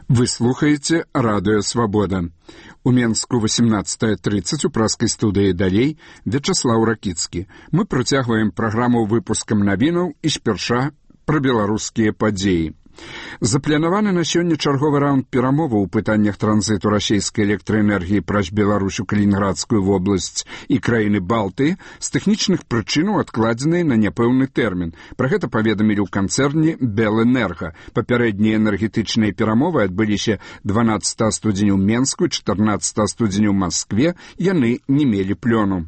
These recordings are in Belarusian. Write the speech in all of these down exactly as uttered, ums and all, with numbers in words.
Вы слухаеце радыё «Свабода». У Менску восемнадцатая тридцать у праскай студыі далей Вячаслаў Ракіцкі. Мы працягваем праграму выпускам навінаў і спярша пра беларускія падзеі. Запланаваны на сёння чарговы раунд перамоваў у пытаннях транзіту расійскай электраэнергіі праз Беларусь у Калінінградскую вобласць і краіны Балтыі з тэхнічных прычынаў адкладзеныя на няпэўны тэрмін. Пра гэта паведамілі ў канцэрне «Белэнерга». Папярэднія энергетычныя перамовы адбыліся дванаццатага студзеня ў Менску і чатырнаццатага студзеня ў Маскве. Яны не мелі плёну.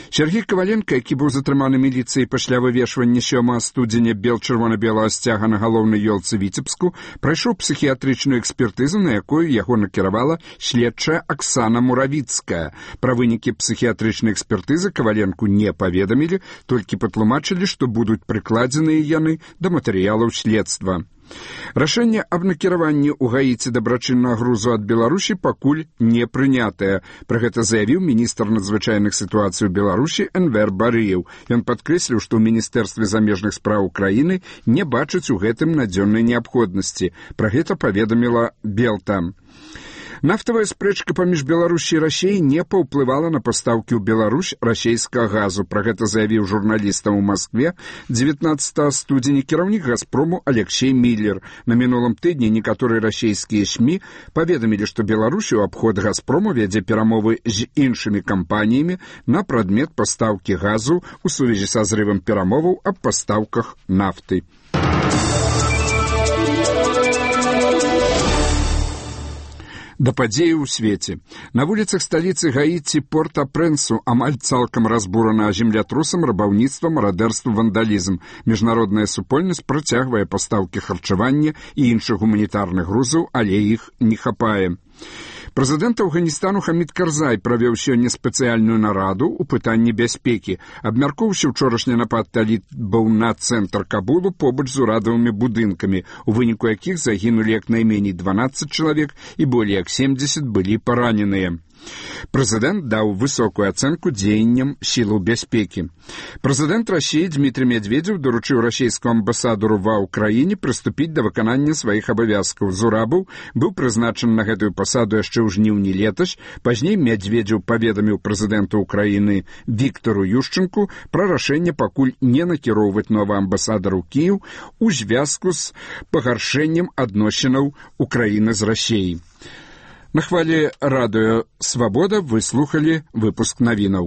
Сергей Коваленко, які быў затрыманы міліцыяй пасля вывешвання сёмага студзеня бел-чырвона-белага сцяга на галоўнай ёлцы Віцебску, прайшоў псіхіятрычную экспертызу, на якую яго накіравала следчая Аксана Муравіцкая. Пра вынікі псіхіятрычнай экспертызы Коваленку не паведамілі, толькі патлумачылі, што будуць прыкладзеныя яны да матэрыялаў следства. Рашэнне аб накіраванні ў Гаіці дабрачыннага грузу ад Беларусі пакуль не прынятае. Пра гэта заявіў міністр надзвычайных сітуацый у Беларусі Энвер Барыеў. Ён падкрэсліў, што ў міністэрстве замежных спраў краіны не бачаць у гэтым надзённай неабходнасці. Пра гэта паведаміла Белта. Нафтавая спрэчка паміж Беларусі і Расіяй не паўплывала на пастаўкі ў Беларусь расійскага газу. Пра гэта заявіў журналістам у Маскве дзевятнаццатага студзеня кіраўнік «Газпрому» Алексей Миллер. На мінулым тыдні некаторыя расійскія СМІ паведамілі, што Беларусь у абход «Газпрому» вядзе перамовы з іншымі кампаніямі на прадмет пастаўкі газу ў сувязі са зрывам перамоваў аб пастаўках нафты. Да падзеі ў свеце. На вуліцах сталіцы Гаіці Порт-а-Прэнсу амаль цалкам разбурана землятрусам, рабаўніцтвам, марадэрствам, вандалізм. Міжнародная супольнасць працягвае пастаўкі харчавання і іншых гуманітарных грузаў, але іх не хапае. Прэзідэнт Афганістану Хамід Карзай правёў сёння спецыяльную нараду ў пытанні бяспекі. Абмяркоўваўся ўчорашні напад талібаў на цэнтр Кабулу побач з урадавымі будынкамі, у выніку якіх загінулі як найменей дванаццаць чалавек і болей як семдзесят былі параненыя. Прэзідэнт даў высокую ацэнку дзеянням сілаў бяспекі. Прэзідэнт Расіі Дмітрий Медведзеў даручыў расійскому амбасадару ва ўкраіне прыступіць да выканання сваіх абавязкаў. Зурабаў быў прызначаны на гэтую пасаду яшчэ ў жніўні летась. Пазней Медведзеў паведаміў прэзідэнту ўкраіны Віктару Юшчэнку пра рашэнне пакуль не накіроўваць новага амбасадара ў Кіеў у звязку з пагаршэннем адносінаў Украіны з Расіяй. На хвале радыё «Свабода» вы слухалі выпуск навінаў.